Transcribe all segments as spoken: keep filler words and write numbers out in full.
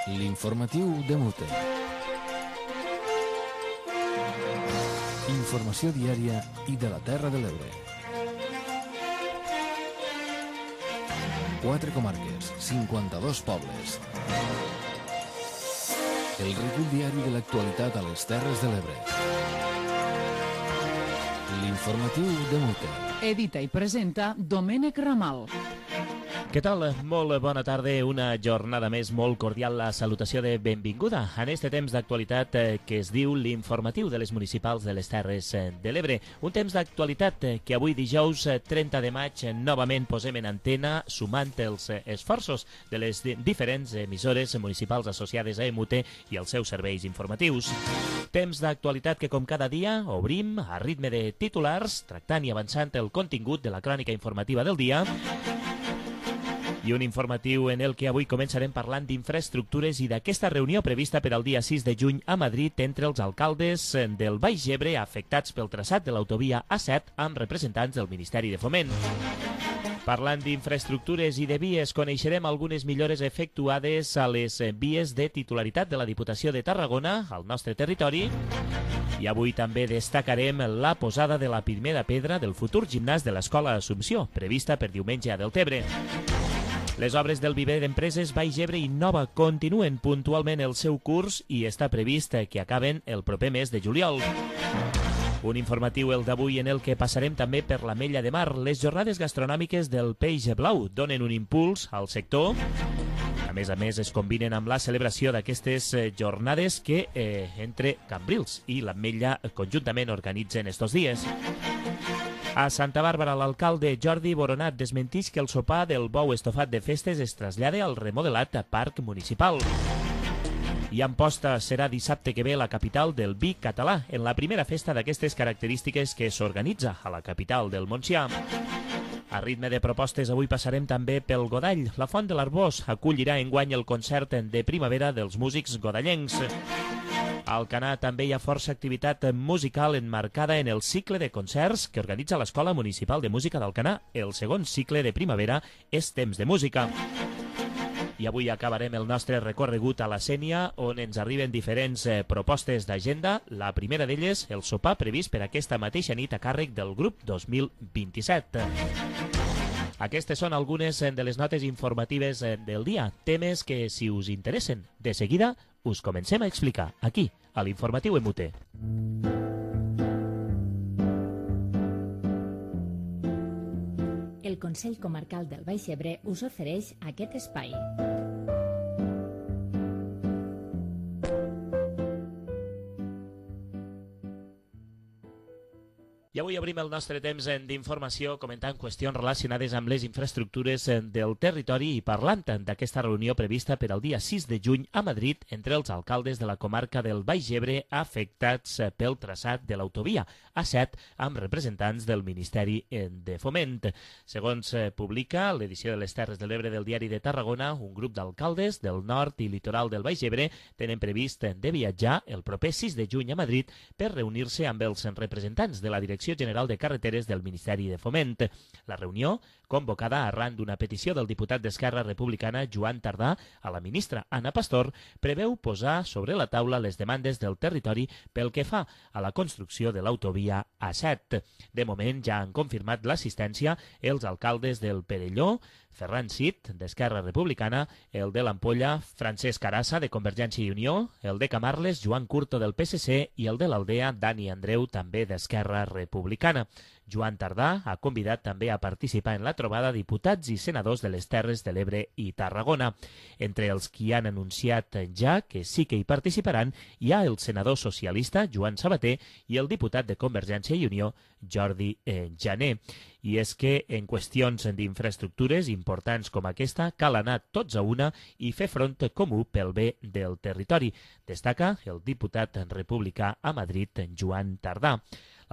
L'informatiu de Mute. Informació diària i de la Terra de l'Ebre. Quatre comarques, cinquanta-dos pobles. El recull diari de l'actualitat a les Terres de l'Ebre. L'informatiu de Mute. Edita i presenta Domènec Ramal. Què tal? Molt bona tarda, una jornada més molt cordial, la salutació de benvinguda en este temps d'actualitat que es diu l'informatiu de les municipals de les Terres de l'Ebre. Un temps d'actualitat que avui dijous trenta de maig novament posem en antena sumant els esforços de les diferents emissores municipals associades a EMUTE i els seus serveis informatius. Temps d'actualitat que com cada dia obrim a ritme de titulars, tractant i avançant el contingut de la crònica informativa del dia, i un informatiu en el que avui començarem parlant d'infraestructures i d'aquesta reunió prevista per al dia sis de juny a Madrid entre els alcaldes del Baix Ebre afectats pel traçat de l'autovia A set amb representants del Ministeri de Foment. Parlant d'infraestructures i de vies, coneixerem algunes millores efectuades a les vies de titularitat de la Diputació de Tarragona al nostre territori. I avui també destacarem la posada de la primera pedra del futur gimnàs de l'Escola Assumpció, prevista per diumenge a Deltebre. Les obres del viver d'empreses Baix Ebre i Nova continuen puntualment el seu curs i està previst que acaben el proper mes de juliol. Un informatiu el d'avui en el que passarem també per l'Ametlla de Mar. Les jornades gastronòmiques del Peix Blau donen un impuls al sector. A més a més, es combinen amb la celebració d'aquestes jornades que eh, entre Cambrils i l'Ametlla conjuntament organitzen estos dies. A Santa Bàrbara, l'alcalde Jordi Boronat desmentix que el sopar del bou estofat de festes es trasllada al remodelat parc municipal. I Amposta serà dissabte que ve la capital del vi català, en la primera festa d'aquestes característiques que s'organitza a la capital del Montsià. A ritme de propostes, avui passarem també pel Godall. La Font de l'Arbós acollirà enguany el concert de primavera dels músics godallencs. A Alcanar també hi ha força activitat musical enmarcada en el cicle de concerts que organitza l'Escola Municipal de Música d'Alcanar. El segon cicle de primavera és Temps de Música. I avui acabarem el nostre recorregut a la Sénia, on ens arriben diferents eh, propostes d'agenda. La primera d'elles, el sopar previst per aquesta mateixa nit a càrrec del grup dos mil vint-i-set. Aquestes són algunes de les notes informatives del dia, temes que, si us interessen, de seguida us comencem a explicar aquí, a l'informatiu EMUTE. El Consell Comarcal del Baix Ebre us ofereix aquest espai. I avui obrim el nostre temps d'informació comentant qüestions relacionades amb les infraestructures del territori i parlant d'aquesta reunió prevista per al dia sis de juny a Madrid entre els alcaldes de la comarca del Baix Ebre afectats pel traçat de l'autovia A set amb representants del Ministeri de Foment. Segons publica l'edició de les Terres de l'Ebre del Diari de Tarragona, un grup d'alcaldes del nord i litoral del Baix Ebre tenen previst de viatjar el proper sis de juny a Madrid per reunir-se amb els representants de la Direcció General de Carreteres del Ministeri de Foment. La reunió, convocada arran d'una petició del diputat d'Esquerra Republicana Joan Tardà a la ministra Ana Pastor, preveu posar sobre la taula les demandes del territori pel que fa a la construcció de l'autovia A set. De moment ja han confirmat l'assistència els alcaldes del Perelló, Ferran Cid, d'Esquerra Republicana, el de l'Ampolla, Francesc Arassa, de Convergència i Unió, el de Camarles, Joan Curto, del P S C, i el de l'Aldea, Dani Andreu, també d'Esquerra Republicana. Joan Tardà ha convidat també a participar en la trobada diputats i senadors de les Terres de l'Ebre i Tarragona. Entre els qui han anunciat ja que sí que hi participaran hi ha el senador socialista Joan Sabater i el diputat de Convergència i Unió Jordi eh, Jané. I és que en qüestions d'infraestructures importants com aquesta cal anar tots a una i fer front comú pel bé del territori, destaca el diputat republicà a Madrid Joan Tardà.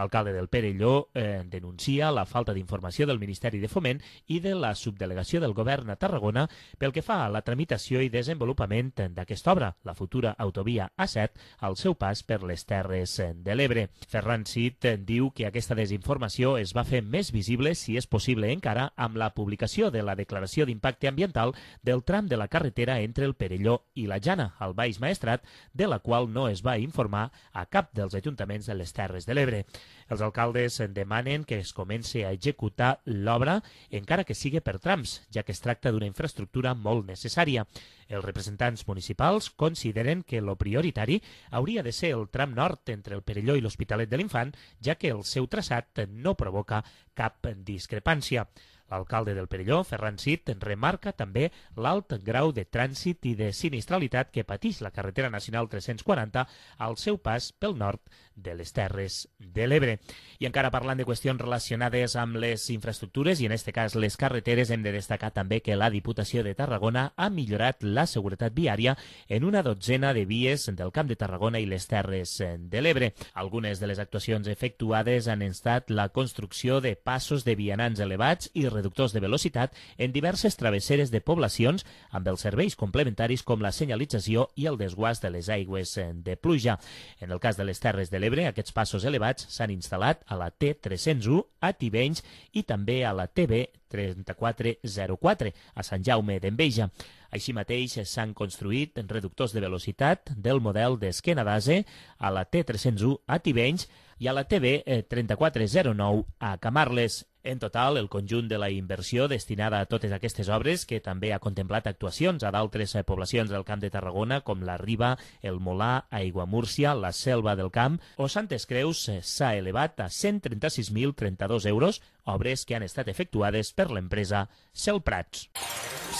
L'alcalde del Perelló eh, denuncia la falta d'informació del Ministeri de Foment i de la subdelegació del govern a Tarragona pel que fa a la tramitació i desenvolupament d'aquesta obra, la futura autovia A set, al seu pas per les Terres de l'Ebre. Ferran Cid diu que aquesta desinformació es va fer més visible, si és possible encara, amb la publicació de la declaració d'impacte ambiental del tram de la carretera entre el Perelló i la Jana, al Baix Maestrat, de la qual no es va informar a cap dels ajuntaments de les Terres de l'Ebre. Els alcaldes demanen que es comenci a executar l'obra, encara que sigui per trams, ja que es tracta d'una infraestructura molt necessària. Els representants municipals consideren que lo prioritari hauria de ser el tram nord entre el Perelló i l'Hospitalet de l'Infant, ja que el seu traçat no provoca cap discrepància. L'alcalde del Perelló, Ferran Cid, remarca també l'alt grau de trànsit i de sinistralitat que pateix la carretera nacional tres-cents quaranta al seu pas pel nord de les Terres de l'Ebre. I encara parlant de qüestions relacionades amb les infraestructures i en aquest cas les carreteres, hem de destacar també que la Diputació de Tarragona ha millorat la seguretat viària en una dotzena de vies del Camp de Tarragona i les Terres de l'Ebre. Algunes de les actuacions efectuades han estat la construcció de passos de vianants elevats i reductors de velocitat en diverses travesseres de poblacions amb els serveis complementaris com la senyalització i el desguàs de les aigües de pluja. En el cas de les Terres de l'Ebre, aquests passos elevats s'han instal·lat a la T tres-cents u a Tivenys i també a la T B trenta-quatre zero quatre a Sant Jaume d'Enveja. Així mateix s'han construït reductors de velocitat del model d'esquena d'ase a la T tres-cents u a Tivenys i a la T B trenta-quatre zero nou a Camarles. En total, el conjunt de la inversió destinada a totes aquestes obres, que també ha contemplat actuacions a d'altres poblacions del Camp de Tarragona, com la Riba, el Molà, Aiguamúrcia, la Selva del Camp o Santes Creus, s'ha elevat a cent trenta-sis mil trenta-dos euros, obres que han estat efectuades per l'empresa Celprats.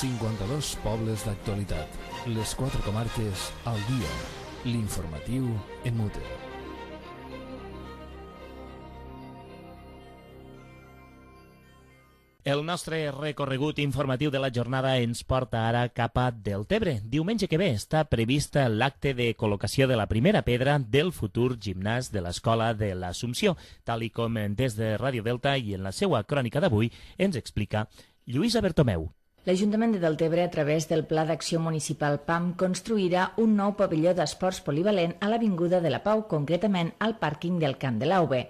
cinquanta-dos pobles d'actualitat. Les quatre comarques al dia. L'informatiu en Mute. El nostre recorregut informatiu de la jornada ens porta ara cap a Deltebre. Diumenge que ve està prevista l'acte de col·locació de la primera pedra del futur gimnàs de l'Escola de l'Assumpció, tal i com des de Ràdio Delta i en la seva crònica d'avui ens explica Lluïsa Bertomeu. L'Ajuntament de Deltebre, a través del Pla d'Acció Municipal P A M, construirà un nou pavelló d'esports polivalent a l'Avinguda de la Pau, concretament al pàrquing del Camp de l'Auve.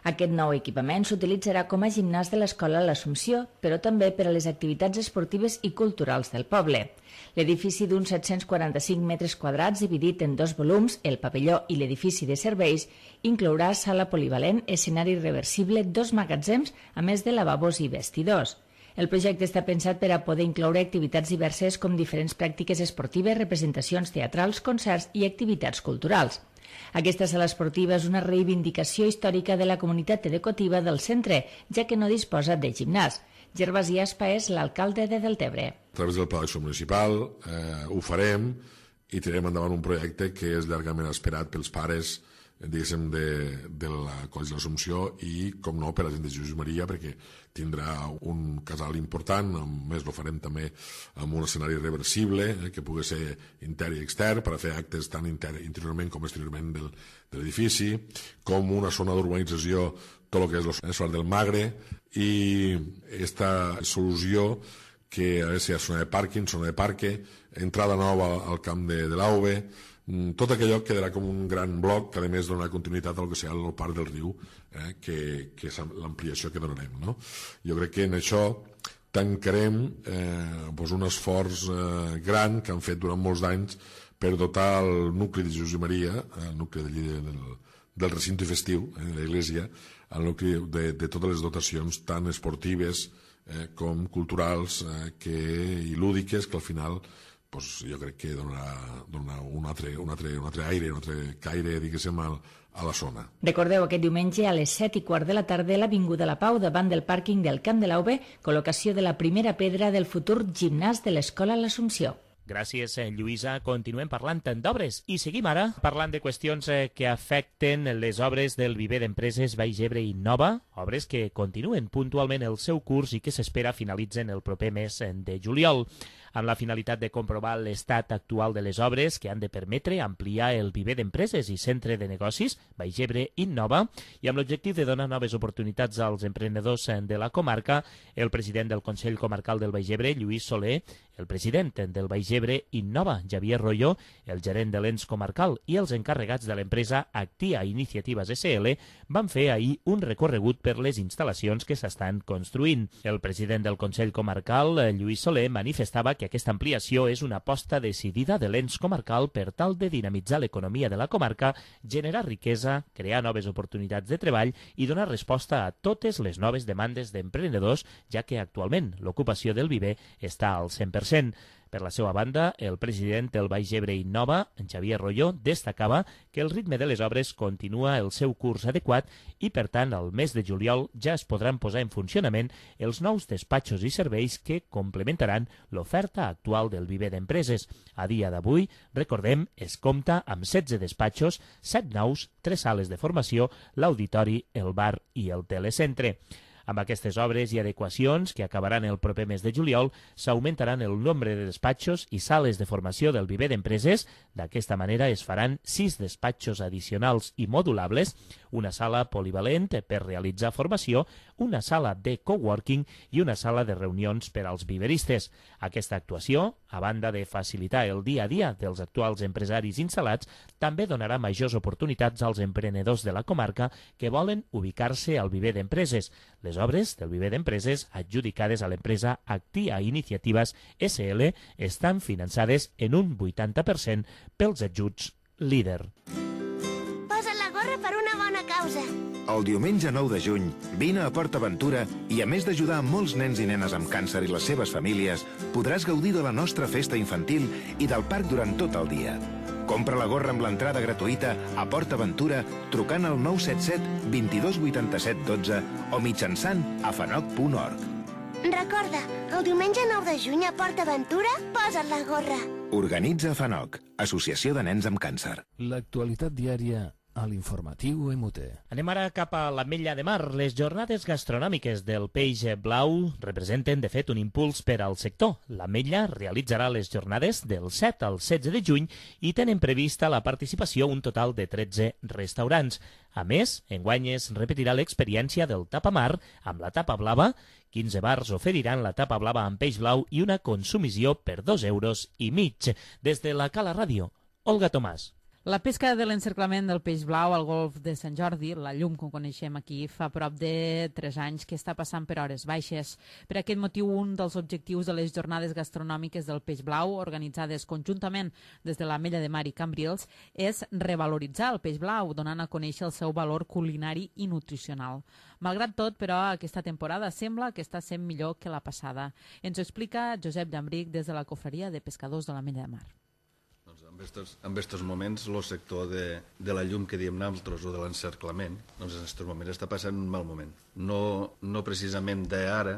Aquest nou equipament s'utilitzarà com a gimnàs de l'Escola L'Assumpció, però també per a les activitats esportives i culturals del poble. L'edifici d'uns set-cents quaranta-cinc metres quadrats, dividit en dos volums, el pavelló i l'edifici de serveis, inclourà sala polivalent, escenari reversible, dos magatzems, a més de lavabos i vestidors. El projecte està pensat per a poder incloure activitats diverses com diferents pràctiques esportives, representacions teatrals, concerts i activitats culturals. Aquesta sala esportiva és una reivindicació històrica de la comunitat educativa del centre, ja que no disposa de gimnàs. Gervasi Aspa és l'alcalde de Deltebre. A través del Pla d'Acció Municipal eh, ho farem i tirarem endavant un projecte que és llargament esperat pels pares diguéssim, de, de la Coll de l'Assumpció i, com no, per a la gent de Jesús Maria, perquè tindrà un casal important, a més lo farem també amb un escenari reversible, eh, que pugui ser intern i extern, per a fer actes tant interiorment com exteriorment del, de l'edifici, com una zona d'urbanització, tot el que és el solar del Magre, i aquesta solució que ha de ser zona de pàrquing, zona de parque, entrada nova al camp de, de l'Auve, tot aquell quedarà com un gran bloc que a més donarà continuïtat al que serà el Parc del Riu, eh, que, que és l'ampliació que donarem, no? Jo crec que en això tancarem eh, doncs un esforç eh, gran que han fet durant molts anys per dotar el nucli de Jesús i Maria, el nucli de, del, del recinte festiu, eh, de l'església, el nucli de, de totes les dotacions tant esportives eh, com culturals eh, que, i lúdiques, que al final pues jo crec que donarà, donarà un, altre, un, altre, un altre aire, un altre caire, diguéssim, a, a la zona. Recordeu, aquest diumenge a les set i quart de la tarda a l'Avinguda La Pau, davant del pàrquing del Camp de l'Auve, col·locació de la primera pedra del futur gimnàs de l'Escola L'Assumpció. Gràcies, Lluïsa. Continuem parlant d'obres i seguim ara parlant de qüestions que afecten les obres del viver d'empreses Baix Ebre i Nova, obres que continuen puntualment el seu curs i que s'espera finalitzen el proper mes de juliol. amb la finalitat de comprovar l'estat actual de les obres que han de permetre ampliar el viver d'empreses i centre de negocis Baix Ebre Innova, i amb l'objectiu de donar noves oportunitats als emprenedors de la comarca, el president del Consell Comarcal del Baix Ebre, Lluís Soler, el president del Baix Ebre Innova, Xavier Royo, el gerent de l'ens comarcal i els encarregats de l'empresa Actia Iniciatives S L van fer ahir un recorregut per les instal·lacions que s'estan construint. El president del Consell Comarcal, Lluís Soler, manifestava que aquesta ampliació és una aposta decidida de l'ens comarcal per tal de dinamitzar l'economia de la comarca, generar riquesa, crear noves oportunitats de treball i donar resposta a totes les noves demandes d'emprenedors, ja que actualment l'ocupació del viver està al cent per cent. Per la seva banda, el president del Baix Ebre Innova, en Xavier Royo, destacava que el ritme de les obres continua el seu curs adequat i, per tant, al mes de juliol ja es podran posar en funcionament els nous despatxos i serveis que complementaran l'oferta actual del viver d'empreses. A dia d'avui, recordem, es compta amb setze despatxos, set nous, tres sales de formació, l'auditori, el bar i el telecentre. Amb aquestes obres i adequacions, que acabaran el proper mes de juliol, s'augmentaran el nombre de despatxos i sales de formació del viver d'empreses. D'aquesta manera es faran sis despatxos addicionals i modulables, una sala polivalent per realitzar formació, una sala de coworking i una sala de reunions per als viveristes. Aquesta actuació, a banda de facilitar el dia a dia dels actuals empresaris instal·lats, també donarà majors oportunitats als emprenedors de la comarca que volen ubicar-se al viver d'empreses. Les obres del viver d'empreses adjudicades a l'empresa Actia Iniciatives S L estan finançades en un vuitanta per cent pels ajuts líder. Posa la gorra per una bona causa. El diumenge nou de juny, vine a Port Aventura i, a més d'ajudar molts nens i nenes amb càncer i les seves famílies, podràs gaudir de la nostra festa infantil i del parc durant tot el dia. Compra la gorra amb l'entrada gratuïta a Port Aventura trucant al nou set set, dos dos vuit set, un dos o mitjançant afanoc punt org. Recorda, el diumenge nou de juny a Port Aventura, posa't la gorra. Organitza Afanoc, Associació de Nens amb Càncer. L'actualitat diària a l'informatiu M T. Anem ara cap a l'Ametlla de Mar. Les jornades gastronòmiques del peix blau representen, de fet, un impuls per al sector. L'Ametlla realitzarà les jornades del set al setze de juny i tenen prevista la participació un total de tretze restaurants. A més, enguany es repetirà l'experiència del tapamar amb la tapa blava. quinze bars oferiran la tapa blava amb peix blau i una consumició per dos euros i mig. Des de la Cala Ràdio, Olga Tomàs. La pesca de l'encerclament del peix blau al golf de Sant Jordi, la llum que coneixem aquí, fa prop de tres anys que està passant per hores baixes. Per aquest motiu, un dels objectius de les jornades gastronòmiques del peix blau, organitzades conjuntament des de l'Ametlla de Mar i Cambrils, és revaloritzar el peix blau, donant a conèixer el seu valor culinari i nutricional. Malgrat tot, però, aquesta temporada sembla que està sent millor que la passada. Ens ho explica Josep Llambric des de la Cofreria de Pescadors de l'Ametlla de Mar. En estos, en estos moments, el sector de, de la llum que diem nosaltres o de l'encerclament, doncs en aquests moments està passant un mal moment. No, no precisament d'ara,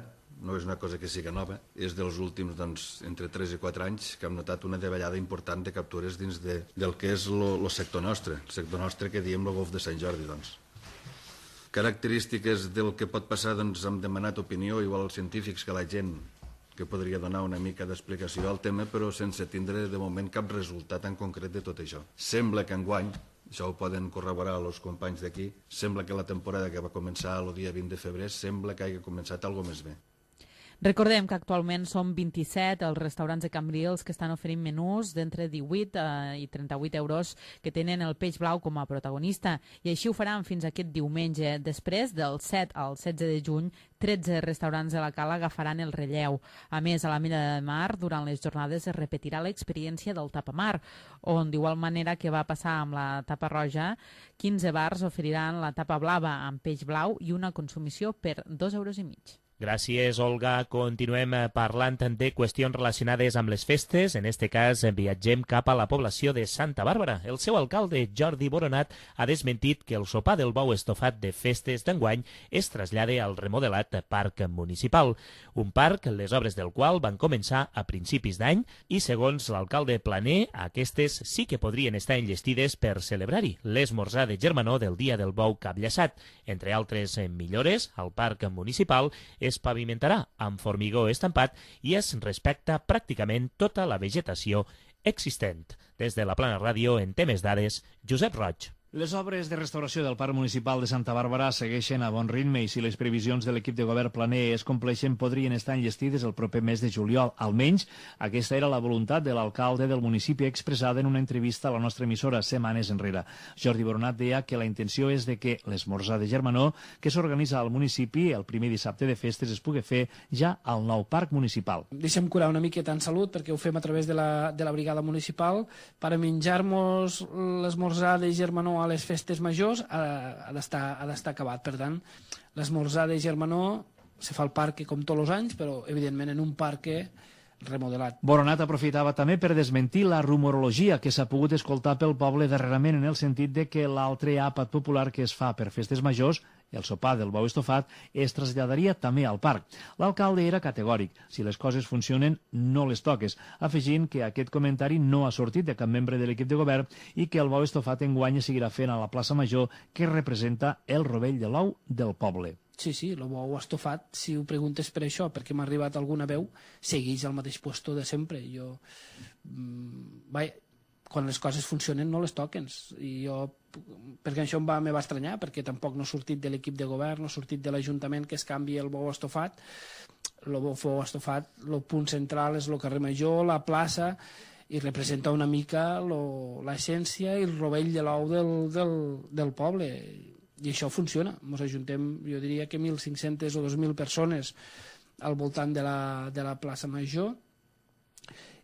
no és una cosa que sigui nova, és dels últims, doncs, entre tres i quatre anys que hem notat una davallada important de captures dins de, del que és el sector nostre, el sector nostre que diem el golf de Sant Jordi. Doncs. Característiques del que pot passar, doncs, hem demanat opinió, igual als científics, que la gent que podria donar una mica d'explicació al tema, però sense tindre de moment cap resultat en concret de tot això. Sembla que enguany, això ho poden corroborar els companys d'aquí, sembla que la temporada que va començar el dia vint de febrer sembla que hagi començat alguna més bé. Recordem que actualment són vint-i-set els restaurants de Cambrils que estan oferint menús d'entre divuit i trenta-vuit euros que tenen el peix blau com a protagonista, i així ho faran fins aquest diumenge. Després, del set al setze de juny, tretze restaurants de la Cala agafaran el relleu. A més, a l'Ametlla de Mar, durant les jornades es repetirà l'experiència del tapamar, on, d'igual manera que va passar amb la tapa roja, quinze bars oferiran la tapa blava amb peix blau i una consumició per dos euros i mig. Gràcies, Olga. Continuem parlant de qüestions relacionades amb les festes. En este cas, viatgem cap a la població de Santa Bàrbara. El seu alcalde, Jordi Boronat, ha desmentit que el sopar del bou estofat de festes d'enguany es trasllade al remodelat parc municipal. Un parc, les obres del qual van començar a principis d'any i, segons l'alcalde Planer, aquestes sí que podrien estar enllestides per celebrar-hi l'esmorzar de germanor del dia del bou capllaçat. Entre altres millores, al parc municipal es pavimentarà amb formigó estampat i es respecta pràcticament tota la vegetació existent. Des de la Plana Ràdio, en temes dades, Josep Roig. Les obres de restauració del Parc Municipal de Santa Bàrbara segueixen a bon ritme i si les previsions de l'equip de govern planer es compleixen podrien estar enllestides el proper mes de juliol. Almenys, aquesta era la voluntat de l'alcalde del municipi expressada en una entrevista a la nostra emissora setmanes enrere. Jordi Boronat deia que la intenció és de que l'esmorzar de germanor que s'organitza al municipi el primer dissabte de festes es pugui fer ja al nou parc municipal. Deixem curar una miqueta en salut perquè ho fem a través de la, de la brigada municipal per a menjar-nos l'esmorzar de germanor a les festes majors ha, ha d'estar ha d'estar acabat. Per tant, l'esmorzar de germanor se fa al parc com tots els anys, però evidentment en un parc remodelat. Boronat aprofitava també per desmentir la rumorologia que s'ha pogut escoltar pel poble darrerament en el sentit de que l'altre àpat popular que es fa per festes majors, el sopar del bou estofat, es traslladaria també al parc. L'alcalde era categòric. Si les coses funcionen, no les toques, afegint que aquest comentari no ha sortit de cap membre de l'equip de govern i que el bou estofat enguany es seguirà fent a la plaça Major que representa el rovell de l'ou del poble. Sí, sí, el bou estofat, si ho preguntes per això, perquè m'ha arribat alguna veu, segueix al mateix puesto de sempre. Jo, mmm, vaja, quan les coses funcionen no les toquen. I jo, perquè això em va, me va estranyar, perquè tampoc no ha sortit de l'equip de govern, no ha sortit de l'Ajuntament que es canvi el bou estofat. El bou estofat, el punt central és el carrer Major, la plaça, i representa una mica l'essència i el rovell de l'ou del, del, del poble. I això funciona. Ens ajuntem, jo diria que mil cinc-centes o dos mil persones al voltant de la, de la plaça Major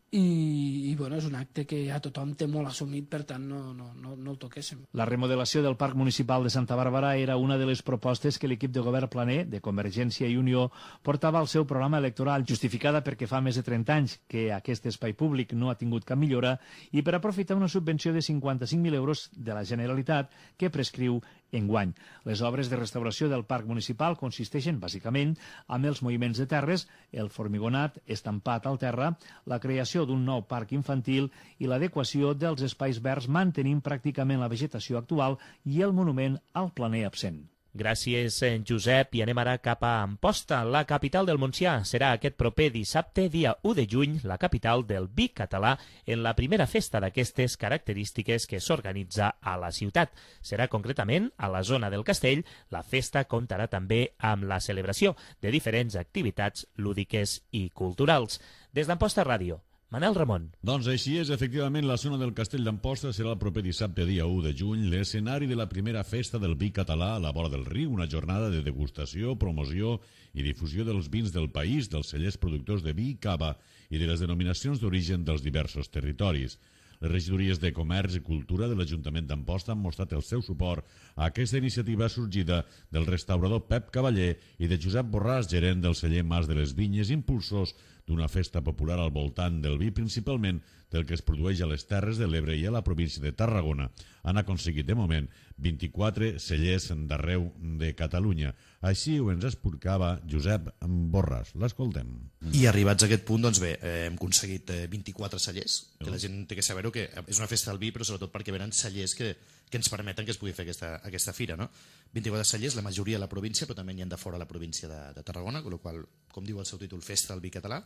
i, i bueno, és un acte que ja tothom té molt assumit, per tant no, no, no, no el toquéssim. La remodelació del Parc Municipal de Santa Bàrbara era una de les propostes que l'equip de govern planer de Convergència i Unió portava al seu programa electoral, justificada perquè fa més de trenta anys que aquest espai públic no ha tingut cap millora i per aprofitar una subvenció de cinquanta-cinc mil euros de la Generalitat que prescriu enguany. Les obres de restauració del Parc Municipal consisteixen, bàsicament, amb els moviments de terres, el formigonat estampat al terra, la creació d'un nou parc infantil i l'adequació dels espais verds mantenint pràcticament la vegetació actual i el monument al planer absent. Gràcies, Josep, i anem ara cap a Amposta, la capital del Montsià. Serà aquest proper dissabte, dia u de juny, la capital del vi català en la primera festa d'aquestes característiques que s'organitza a la ciutat. Serà concretament a la zona del Castell. La festa comptarà també amb la celebració de diferents activitats lúdiques i culturals. Des d'Amposta Ràdio, Manel Ramon. Doncs així és, efectivament, la zona del Castell d'Amposta serà el proper dissabte, dia u de juny, l'escenari de la primera festa del vi català a la vora del riu, una jornada de degustació, promoció i difusió dels vins del país, dels cellers productors de vi i cava i de les denominacions d'origen dels diversos territoris. Les regidories de Comerç i Cultura de l'Ajuntament d'Amposta han mostrat el seu suport a aquesta iniciativa sorgida del restaurador Pep Cavaller i de Josep Borràs, gerent del celler Mas de les Vinyes, impulsors d'una festa popular al voltant del vi, principalment del que es produeix a les Terres de l'Ebre i a la província de Tarragona. Han aconseguit, de moment, vint-i-quatre cellers d'arreu de Catalunya. Així ho ens explicava Josep Borràs. L'escoltem. I arribats a aquest punt, doncs bé, eh, hem aconseguit eh, vint-i-quatre cellers, que la gent té que saber-ho, que és una festa del vi, però sobretot perquè venen cellers que, que ens permeten que es pugui fer aquesta, aquesta fira, no? vint-i-quatre cellers, la majoria a la província, però també n'hi ha de fora a la província de, de Tarragona, amb la qual, com diu el seu títol, Festa del Vi Català.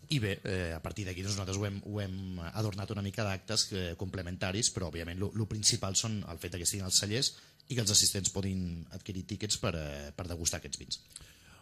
I bé, eh, a partir d'aquí doncs, nosaltres ho hem, ho hem adornat una mica d'actes eh, complementaris, però òbviament el principal són el fet que estiguin els cellers i que els assistents podin adquirir tíquets per, eh, per degustar aquests vins.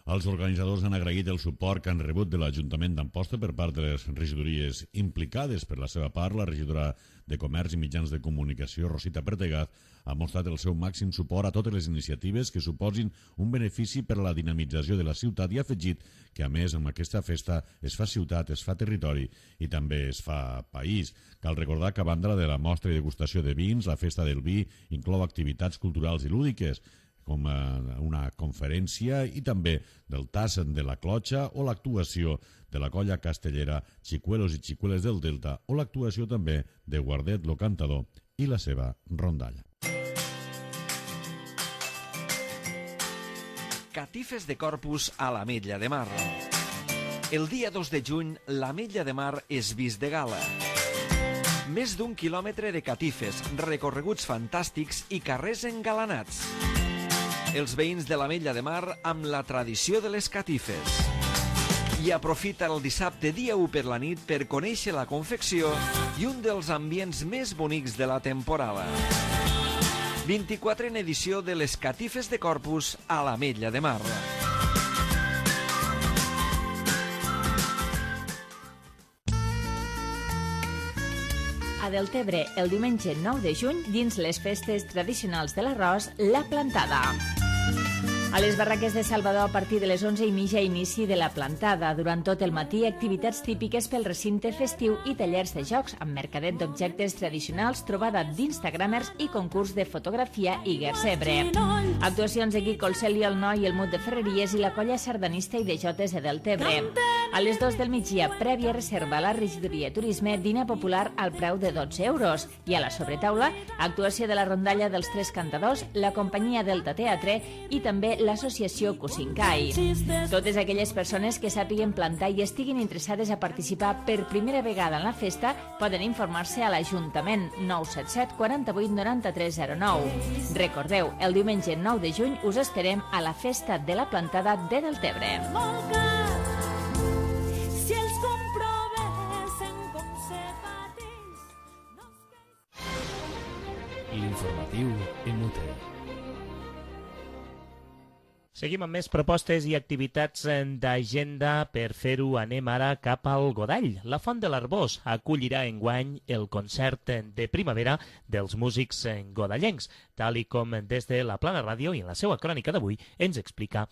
Els organitzadors han agraït el suport que han rebut de l'Ajuntament d'Amposta per part de les regidories implicades. Per la seva part, la regidora de Comerç i Mitjans de Comunicació, Rosita Pertegaz, ha mostrat el seu màxim suport a totes les iniciatives que suposin un benefici per a la dinamització de la ciutat i ha afegit que, a més, amb aquesta festa es fa ciutat, es fa territori i també es fa país. Cal recordar que, a banda de la mostra i degustació de vins, la Festa del Vi inclou activitats culturals i lúdiques, com una conferència i també del tas de la clotxa o l'actuació de la colla castellera Xicuelos i Xicueles del Delta o l'actuació també de Guardet lo Cantador i la seva rondalla. Catifes de Corpus a l'Ametlla de Mar. El dia dos de juny, l'Ametlla de Mar és vist de gala. Més d'un quilòmetre de catifes, recorreguts fantàstics i carrers engalanats. els veïns de l'Ametlla de Mar amb la tradició de les catifes. I aprofita el dissabte dia u per la nit per conèixer la confecció i un dels ambients més bonics de la temporada. vint-i-quatrena edició de les catifes de Corpus a l'Ametlla de Mar. A Deltebre, el diumenge nou de juny, dins les festes tradicionals de l'arròs, la plantada. A les barraques de Salvador, a partir de les onze i mitja, inici de la plantada. Durant tot el matí, activitats típiques pel recinte festiu i tallers de jocs amb mercadet d'objectes tradicionals, trobada d'instagramers i concurs de fotografia i gersebre. Actuacions de Quico el Celio, el Noi, el Mut de Ferreries i la colla sardanista i de jotes de Deltebre. A les dos del migdia, prèvia reserva a la regidoria Turisme, dinar popular al preu de dotze euros. I a la sobretaula, actuació de la rondalla dels Tres Cantadors, la companyia Delta Teatre i també l'associació Cusincai. Totes aquelles persones que sàpiguen plantar i estiguin interessades a participar per primera vegada en la festa poden informar-se a l'Ajuntament nou set set quaranta-vuit noranta-tres zero nou. Recordeu, el diumenge nou de juny us esperem a la festa de la plantada de Deltebre. Si els comprovessin com se pateix... L'informatiu en Mute. Seguim amb més propostes i activitats d'agenda. Per fer-ho anem ara cap al Godall. La Font de l'Arbós acollirà enguany el concert de primavera dels músics godallencs, tal i com des de la Plana Ràdio i en la seva crònica d'avui ens explica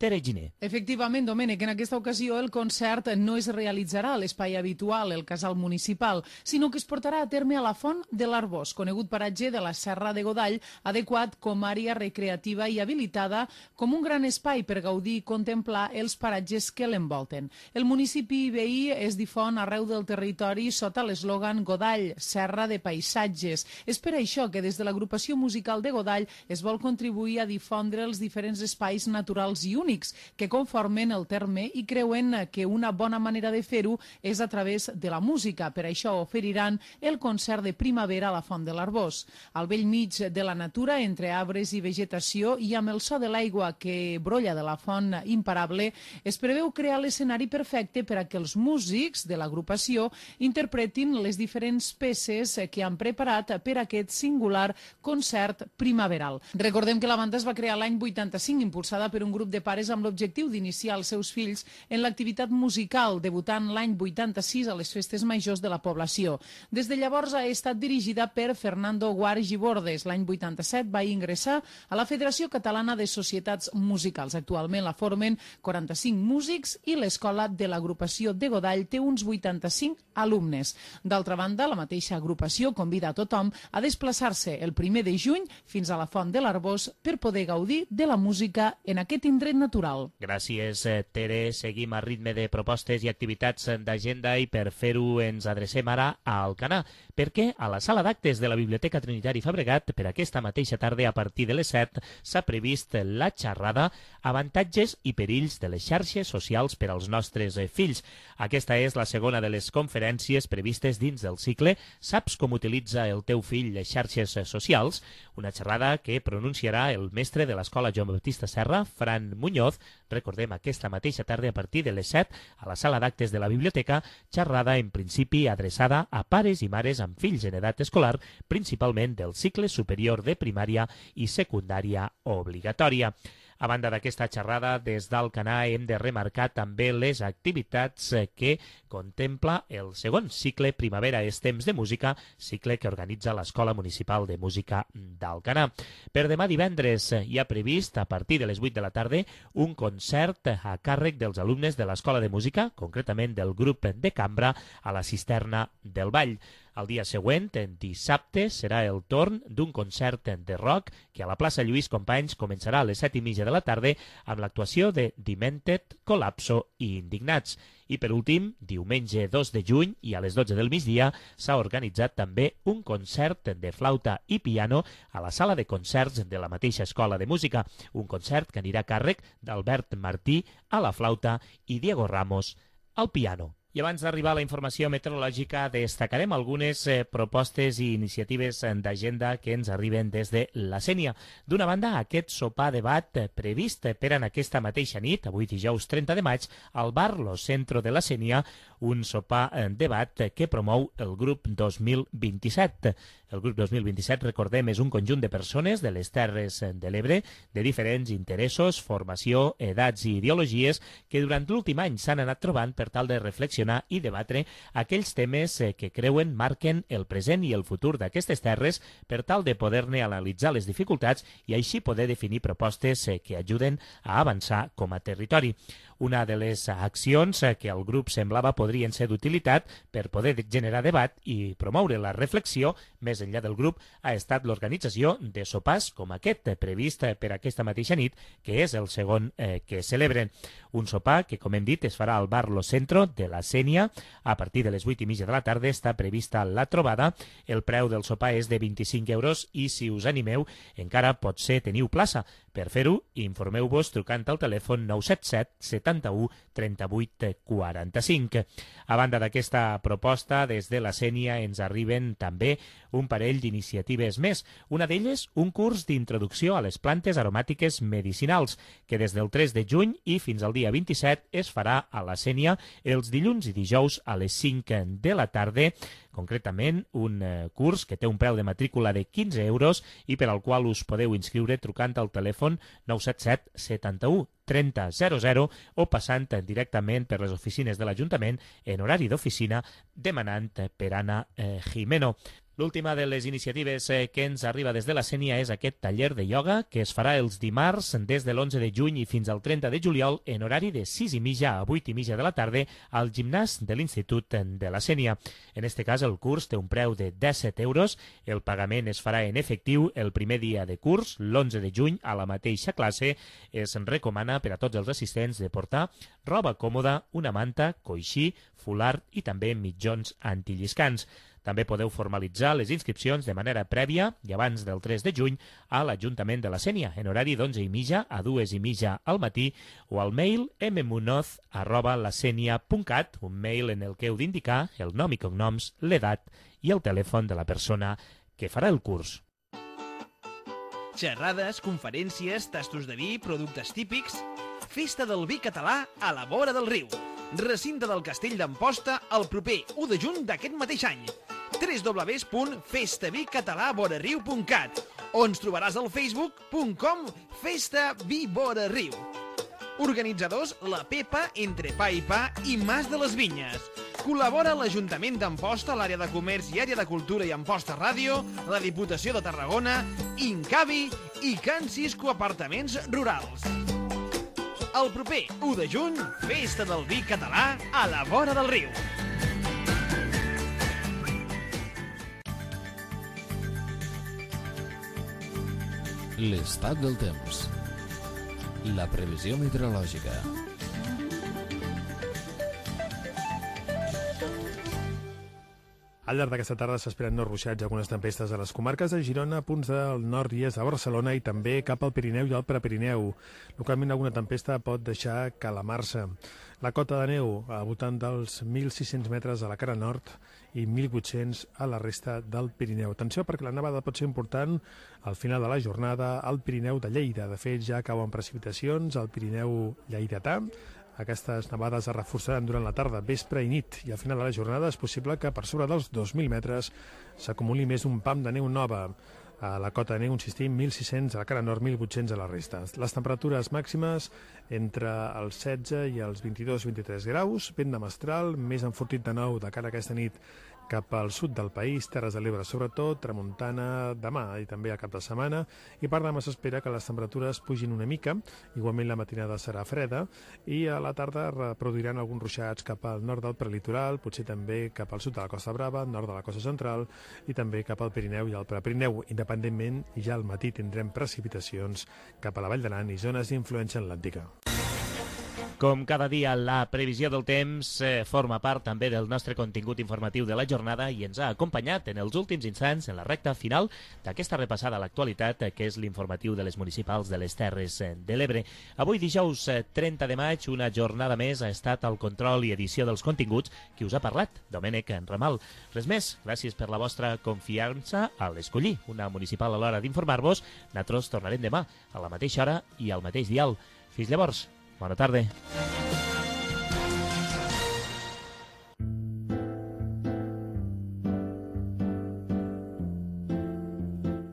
Tere Giner. Efectivament, Domènec, en aquesta ocasió el concert no es realitzarà a l'espai habitual, el casal municipal, sinó que es portarà a terme a la Font de l'Arbós, conegut paratge de la Serra de Godall, adequat com àrea recreativa i habilitada com un gran espai per gaudir i contemplar els paratges que l'envolten. El municipi veí es difon arreu del territori sota l'eslògan Godall, Serra de Paisatges. És per això que des de l'agrupació musical de Godall es vol contribuir a difondre els diferents espais naturals i únics que conformen el terme i creuen que una bona manera de fer-ho és a través de la música. Per això oferiran el concert de primavera a la Font de l'Arbós. Al bell mig de la natura, entre arbres i vegetació i amb el so de l'aigua que brolla de la font imparable, es preveu crear l'escenari perfecte per a que els músics de l'agrupació interpretin les diferents peces que han preparat per a aquest singular concert primaveral. Recordem que la banda es va crear l'any vuitanta-cinc, impulsada per un grup de pares amb l'objectiu d'iniciar els seus fills en l'activitat musical, debutant l'any vuitanta-sis a les festes majors de la població. Des de llavors ha estat dirigida per Fernando Guarch i Bordes. L'any vuitanta-set va ingressar a la Federació Catalana de Societats Musicals. Actualment la formen quaranta-cinc músics i l'escola de l'agrupació de Godall té uns vuitanta-cinc alumnes. D'altra banda, la mateixa agrupació convida a tothom a desplaçar-se el primer de juny fins a la Font de l'Arbós per poder gaudir de la música en aquest indret natural. Gràcies, Tere. Seguim a ritme de propostes i activitats d'agenda i per fer-ho ens adrecem ara a Alcanar, perquè a la sala d'actes de la Biblioteca Trinitari Fabregat per aquesta mateixa tarda a partir de les set s'ha previst la xerrada Avantatges i perills de les xarxes socials per als nostres fills. Aquesta és la segona de les conferències previstes dins del cicle Saps com utilitza el teu fill les xarxes socials? Una xerrada que pronunciarà el mestre de l'Escola Joan Baptista Serra, Fran Muñoz. Recordem, aquesta mateixa tarda a partir de les set a la sala d'actes de la biblioteca, xerrada en principi adreçada a pares i mares amb fills en edat escolar, principalment del cicle superior de primària i secundària obligatòria. A banda d'aquesta xerrada, des d'Alcanar hem de remarcar també les activitats que contempla el segon cicle Primavera és temps de música, cicle que organitza l'Escola Municipal de Música d'Alcanar. Per demà divendres hi ha previst, a partir de les vuit de la tarda, un concert a càrrec dels alumnes de l'Escola de Música, concretament del grup de cambra a la Cisterna del Vall. El dia següent, dissabte, serà el torn d'un concert de rock que a la plaça Lluís Companys començarà a les set i mitja de la tarda amb l'actuació de Demented, Colapso i Indignats. I per últim, diumenge dos de juny i a les dotze del migdia s'ha organitzat també un concert de flauta i piano a la sala de concerts de la mateixa Escola de Música, un concert que anirà a càrrec d'Albert Martí a la flauta i Diego Ramos al piano. I abans d'arribar a la informació meteorològica, destacarem algunes eh, propostes i iniciatives d'agenda que ens arriben des de la Sénia. D'una banda, aquest sopar debat eh, previst per en aquesta mateixa nit, avui dijous trenta de maig, al bar Lo Centro de la Sénia, un sopar eh, debat eh, que promou el grup dos mil vint-i-set. El grup dos mil vint-i-set, recordem, és un conjunt de persones de les Terres de l'Ebre, de diferents interessos, formació, edats i ideologies, que durant l'últim any s'han anat trobant per tal de reflexionar i debatre aquells temes que creuen marquen el present i el futur d'aquestes terres per tal de poder-ne analitzar les dificultats i així poder definir propostes que ajuden a avançar com a territori. Una de les accions que el grup semblava podrien ser d'utilitat per poder generar debat i promoure la reflexió més enllà del grup ha estat l'organització de sopars com aquest previst per aquesta mateixa nit, que és el segon eh, que celebren. Un sopar que, com hem dit, es farà al bar Lo Centro de la Sénia a partir de les vuit i mitja de la tarda. Està prevista la trobada. El preu del sopar és de vint-i-cinc euros i, si us animeu, encara potser teniu plaça. Per fer-ho, informeu-vos trucant al telèfon nou set set setanta-u trenta-vuit quaranta-cinc. A banda d'aquesta proposta, des de la Sénia ens arriben també un parell d'iniciatives més. Una d'elles, un curs d'introducció a les plantes aromàtiques medicinals, que des del tres de juny i fins al dia vint-i-set es farà a la Sénia els dilluns i dijous a les cinc de la tarda, concretament un eh, curs que té un preu de matrícula de quinze euros i per al qual us podeu inscriure trucant al telèfon nou set set setanta-u trenta zero zero o passant directament per les oficines de l'Ajuntament en horari d'oficina demanant per Anna eh, Jimeno. L'última de les iniciatives eh, que ens arriba des de la Sénia és aquest taller de ioga que es farà els dimarts des de l'onze de juny i fins al trenta de juliol en horari de sis i mitja a vuit i mitja de la tarda al gimnàs de l'Institut de la Sénia. En este cas el curs té un preu de disset euros, el pagament es farà en efectiu el primer dia de curs, l'onze de juny, a la mateixa classe. Es recomana per a tots els assistents de portar roba còmoda, una manta, coixí, fulard i també mitjons antilliscants. També podeu formalitzar les inscripcions de manera prèvia i abans del tres de juny a l'Ajuntament de la Sénia, en horari d'onze i mitja a dues i mitja al matí, o al mail mmunoz arroba lasenia punt cat, un mail en el que heu d'indicar el nom i cognoms, l'edat i el telèfon de la persona que farà el curs. Xerrades, conferències, tastos de vi, productes típics... Festa del vi català a la vora del riu. Recinte del Castell d'Amposta el proper u de juny d'aquest mateix any. w w w punt festa vi català vora riu punt cat o ens trobaràs al facebook punt com festa vi vora riu. Organitzadors la Pepa, Entre Pa i Pa i Mas de les Vinyes. Col·labora l'Ajuntament d'Amposta, l'àrea de comerç i àrea de cultura i Amposta Ràdio, la Diputació de Tarragona, Incavi i Can Cisco Apartaments Rurals. El proper u de juny, Festa del Vi català a la vora del riu. L'estat del temps. La previsió meteorològica. Al llarg d'aquesta tarda s'esperen nous ruixats i algunes tempestes a les comarques de Girona, punts del nord i est de Barcelona i també cap al Pirineu i al Prepirineu. Localment alguna tempesta pot deixar calamar-se. La cota de neu al voltant dels mil sis-cents metres a la cara nord i mil vuit-cents a la resta del Pirineu. Atenció perquè la nevada pot ser important al final de la jornada al Pirineu de Lleida. De fet, ja cauen precipitacions al Pirineu lleidatà. Aquestes nevades es reforçaran durant la tarda, vespre i nit, i al final de la jornada és possible que per sobre dels dos mil metres s'acumuli més un pam de neu nova. A la cota de neu, insistim, mil sis-cents a la cara nord, mil vuit-cents a la resta. Les temperatures màximes entre els setze i els vint-i-dos vint-i-tres graus, vent de mestral, més enfortit de nou de cara a aquesta nit cap al sud del país, Terres de l'Ebre sobretot, tramuntana demà i també al cap de setmana, i per demà s'espera que les temperatures pugin una mica, igualment la matinada serà freda, i a la tarda reproduiran alguns ruixats cap al nord del prelitoral, potser també cap al sud de la Costa Brava, nord de la Costa Central, i també cap al Pirineu i al Prepirineu. Independentment, ja al matí tindrem precipitacions cap a la Vall d'Aran i zones d'influència atlàntica. Com cada dia, la previsió del temps eh, forma part també del nostre contingut informatiu de la jornada i ens ha acompanyat en els últims instants en la recta final d'aquesta repassada a l'actualitat, eh, que és l'informatiu de les municipals de les Terres eh, de l'Ebre. Avui, dijous eh, trenta de maig, una jornada més ha estat al control i edició dels continguts. Qui us ha parlat? Domènec Ramal. Res més, gràcies per la vostra confiança a l'Escollir, una municipal a l'hora d'informar-vos. Nosaltres tornarem demà a la mateixa hora i al mateix dial. Fins llavors. Bona tarda.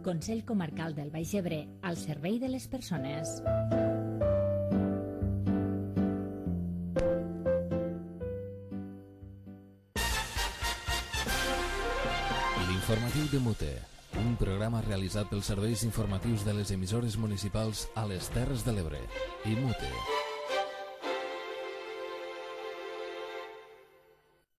Consell Comarcal del Baix Ebre, al servei de les persones. L'informatiu de Mute, un programa realitzat pels serveis informatius de les emissores municipals a les Terres de l'Ebre i Mute.